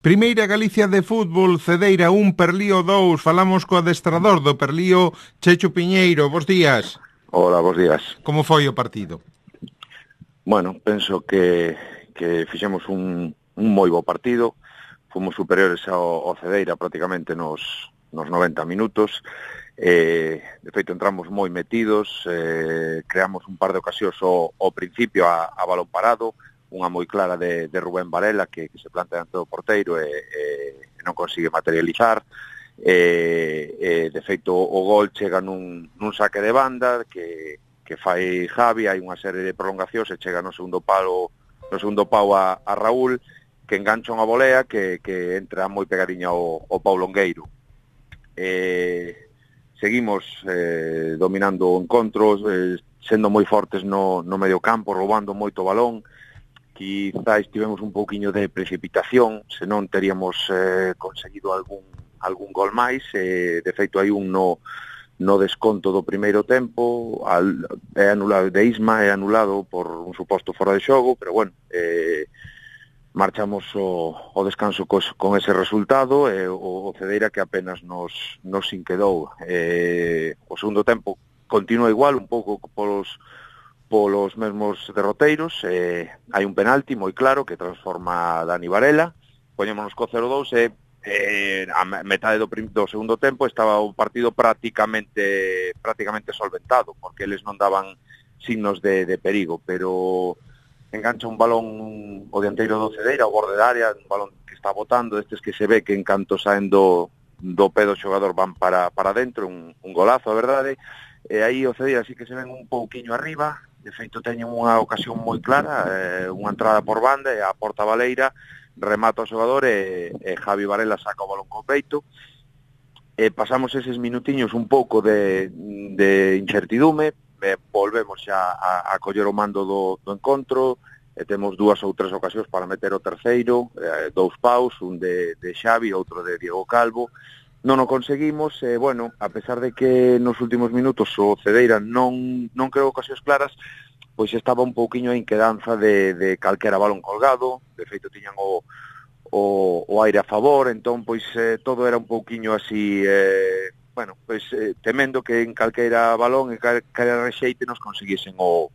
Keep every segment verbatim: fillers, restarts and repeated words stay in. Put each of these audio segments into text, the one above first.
Primeira Galicia de fútbol, Cedeira un, Perlío dous. Falamos co adestrador do Perlío, Checho Piñeiro. Bos días. Hola, bos días. Como foi o partido? Bueno, penso que, que fixemos un, un moi bo partido. Fomos superiores ao, ao Cedeira prácticamente nos, nos noventa minutos. Eh, de feito, entramos moi metidos. Eh, creamos un par de ocasións ao, ao principio a, a balón parado. Unha moi clara de, de Rubén Varela que, que se plantea ante o porteiro e, e non consigue materializar. E, e de feito o gol chega nun, nun saque de banda que, que fai Javi, hai unha serie de prolongacións e chega no segundo palo no segundo pau a, a Raúl, que engancha unha volea que, que entra moi pegadiña ao, ao Pau Longueiro. E, seguimos eh, dominando o encontro, eh, sendo moi fortes no, no medio campo, roubando moito balón. Quizás tivemos un pouquiño de precipitación, senón teríamos eh, conseguido algún algún gol máis. Eh, de feito, hai un no, no desconto do primeiro tempo, al, é anulado de Isma, é anulado por un suposto fora de xogo, pero bueno, eh, marchamos o, o descanso cos, con ese resultado, e eh, o, o Cedeira que apenas nos, nos inquedou. Eh, o segundo tempo continua igual, un pouco polos polos mesmos derroteiros. Eh, hai un penalti moi claro que transforma a Dani Varela, poñémonos co cero dous e eh, a metade do, prim, do segundo tempo estaba o partido prácticamente prácticamente solventado, porque eles non daban signos de, de perigo, pero engancha un balón o dianteiro do Cedeira ao borde da área, un balón que está botando, destes que se ve que en canto saen do, do pé do xogador van para, para dentro, un, un golazo, a verdade. E aí o Cedeira sí que se ven un pouquiño arriba. De feito, teñen unha ocasión moi clara, eh, unha entrada por banda e a porta baleira remata o xogador e, e Javi Varela saca o balón co peito. E pasamos eses minutiños un pouco de, de incertidume, e volvemos xa a, a coller o mando do, do encontro, e temos dúas ou tres ocasións para meter o terceiro, eh, dous paus, un de, de Xavi, outro de Diego Calvo. Non o conseguimos, e, eh, bueno, a pesar de que nos últimos minutos o Cedeira non, non creou ocasións claras, pois estaba un pouquiño a inquedanza de, de calquera balón colgado. De feito, tiñan o, o, o aire a favor, entón, pois, eh, todo era un pouquiño así, eh, bueno, pois, eh, temendo que en calquera balón e calquera rexeite nos conseguisen o,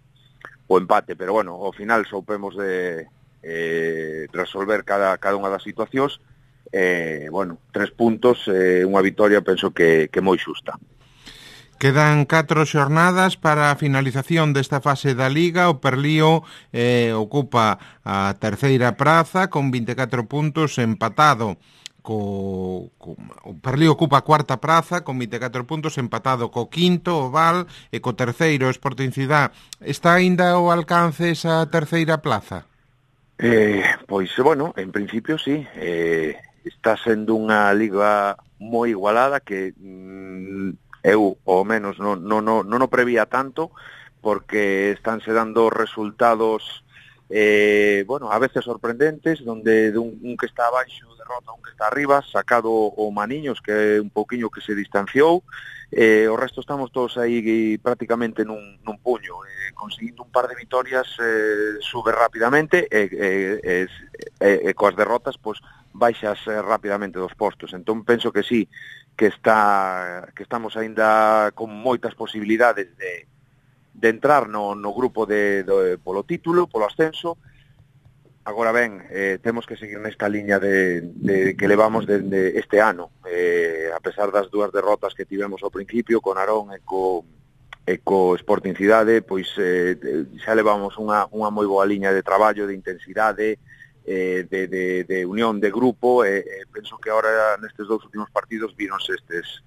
o empate, pero, bueno, ao final soupemos de eh, resolver cada, cada unha das situacións. Eh, bueno, tres puntos, eh, unha vitoria penso que, que moi xusta. Quedan catro xornadas para a finalización desta fase da Liga. O Perlío eh, ocupa a terceira praza con vinte e catro puntos, empatado co, co o Perlío ocupa a cuarta praza con vinte e catro puntos, empatado co quinto, o Val, e co terceiro, Sporting Cidade. Está aínda ao alcance esa terceira plaza? Eh, pois, bueno, en principio sí. Eh, está sendo unha liga moi igualada que mm, eu, ao menos, non, non, non, non o prevía tanto, porque estánse dando resultados eh, bueno, a veces sorprendentes, donde de un, un que está abaixo derrota a un que está arriba, sacado o Maniños, que é un pouquiño que se distanciou. Eh, o resto estamos todos aí prácticamente nun, nun puño, eh, conseguindo un par de vitorias, eh, sube rapidamente, e eh, eh, eh, eh, coas derrotas pois baixas eh, rapidamente dos postos. Entón penso que sí, que está que estamos aínda con moitas posibilidades de, de entrar no, no grupo de, de polo título, polo ascenso. Agora ben, eh, temos que seguir nesta liña de, de que levamos dende de este ano. Eh, a pesar das dúas derrotas que tivemos ao principio, con Narón e co, e co Sporting Cidade, pois eh, xa levamos unha, unha moi boa liña de traballo, de intensidade, eh, de, de, de unión de grupo, e eh, penso que agora nestes dous últimos partidos vironse estes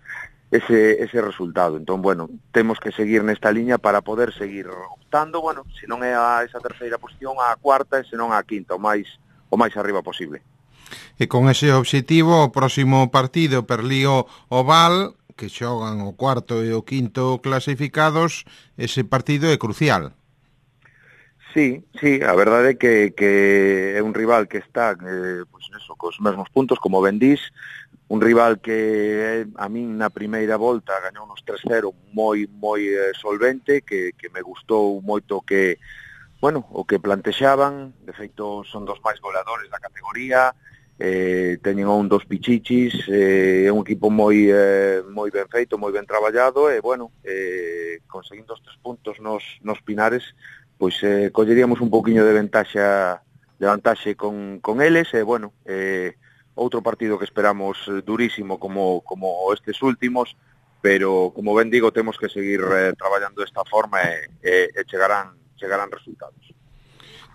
ese, ese resultado. Entón, bueno, temos que seguir nesta liña para poder seguir optando, bueno, se non é a esa terceira posición, a cuarta, e se non a quinta, o máis, o máis arriba posible. E con ese obxectivo, o próximo partido, Perlío Oval, que xogan o cuarto e o quinto clasificados, ese partido é crucial. Sí, sí, a verdade é que, que é un rival que está eh, pois neso, cos mesmos puntos, como ben dís, un rival que a min na primeira volta gañou uns tres cero moi moi eh, solvente, que, que me gustou moito que, bueno, o que plantexaban. De feito son dos máis goleadores da categoría, eh, teñen un dos pichichis, é eh, un equipo moi eh, moi ben feito, moi ben traballado, e, bueno, eh, conseguindo os tres puntos nos, nos Pinares, pois eh, colleríamos un pouquiño de ventaxa de vantaxe con, con eles, e, bueno, eh, outro partido que esperamos durísimo como, como estes últimos, pero, como ben digo, temos que seguir eh, traballando desta forma e, e, e chegarán, chegarán resultados.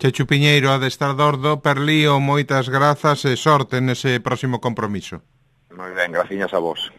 Chechu Piñeiro, adestrador do Perlío, moitas grazas e sorte nese próximo compromiso. Moi ben, graciñas a vos.